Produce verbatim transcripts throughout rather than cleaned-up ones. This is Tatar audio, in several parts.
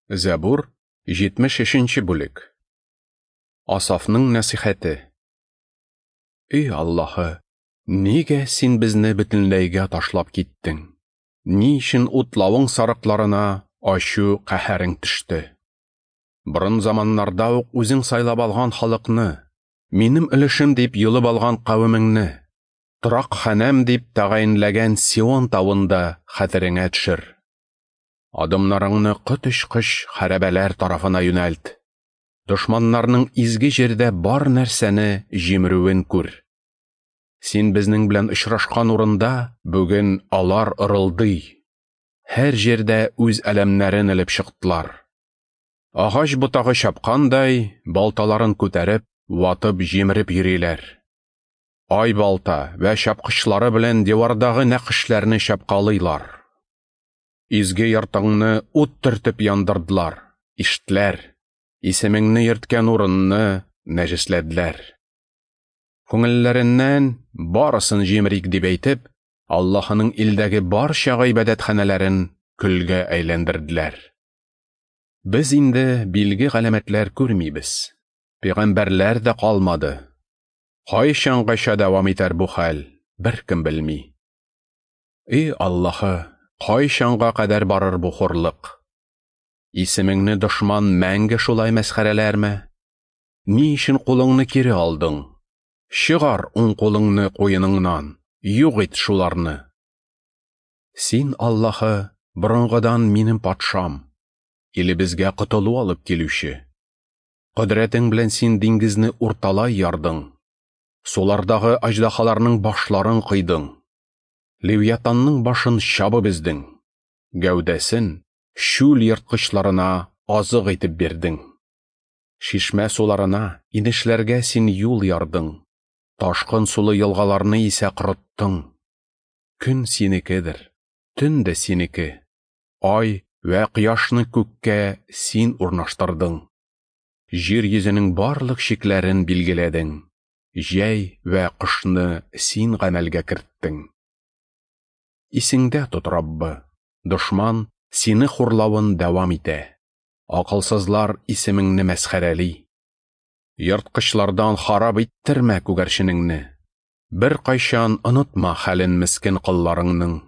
Зәбур, җитмеш өченче бүлек. Асафның нәсихәте. Эй Аллаһы, нигә син безне бөтенләйгә ташлап киттең? Ни өчен утлавың сарыкларына ачу каһәрең төште? Борын заманнарда ук үзең сайлап алган халыкны, минем өлешем дип йолып алган кавемеңне, торак ханәм дип тәгаенләгән Сион тавында хәтереңә төшер. Адымнарыңны коточкыч хәрабәләр тарафына юнәлт. Дошманнарның изге җирдә бар нәрсәне җимерүен күр. Син безнең белән очрашкан урында бүген алар ырылдый. Һәр җирдә үз әләмнәрен элеп чыктылар. Агач ботагы чапкандай, балталарын күтәреп, ватып җимереп йөриләр. Ай балта вә чапкычлары белән дивардагы нәкышләрне чапкалыйлар. Изге йортыңны ут төртеп яндырдылар, иштләр, исемеңне йөрткән урынны нәҗесләделәр. Күңелләреннән барысын җимерик дип әйтеп, Аллаһының илдәге барча гыйбадәтханәләрен көлгә әйләндерделәр. Без инде билге галәмәтләр күрмибез. Пәйгамбәрләр дә калмады. Кайчангача дәвам итәр бу хәл, беркем белми. Эй Аллаһы, кайчанга кадәр барыр бу хурлык? Исемеңне дошман мәңге шулай мәсхәрәләрме? Ни өчен кулыңны кире алдың? Чыгар уң кулыңны куеныңнан, юк ит шуларны. Син, Аллаһы, борынгыдан минем патшам, илебезгә котылу алып килүче. Кодрәтең белән син диңгезне урталай ярдың, сулардагы аҗдаһаларның башларын кыйдың. Левиатанның башын чабып өздең, гәүдәсен чүл ерткычларына азык итеп бирдең. Шишмә суларына, инешләргә син юл ярдың, ташкын сулы елгаларны исә корыттың. Көн синекедер, төн дә синеке, ай вә кояшны күккә син урнаштырдың. Җир йөзенең барлык чикләрен билгеләдең, җәй вә кышны син гамәлгә керттең. Исеңдә тот, Раббы, дошман сине хурлавын дәвам итә. Акылсызлар исемеңне мәсхәрәли. Ерткычлардан харап иттермә күгәрченеңне. Бер кайчан онытма хәлен мескен колларыңның.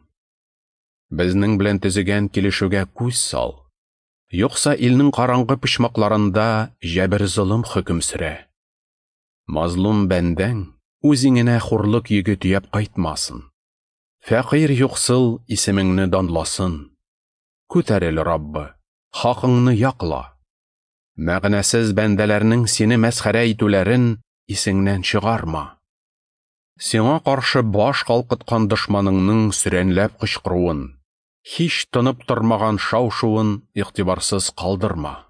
Безнең белән төзегән килешүгә күз сал. Юкса илнең караңгы почмакларында җәбер-золым хөкем сөрә. Мазлум бәндәң үзеңенә хурлык йөге төяп кайтмасын. Фәкыйрь юксыл исемеңне данласын. Күтәрел, Раббы, хакыңны якла. Мәгънәсез бәндәләрнең сине мәсхәрә итүләрен исеңнән чыгарма. Сиңа каршы баш калкыткан дошманыңның сөрәнләп кычкыруын, һич тынып тормаган шау-шуын игътибарсыз калдырма.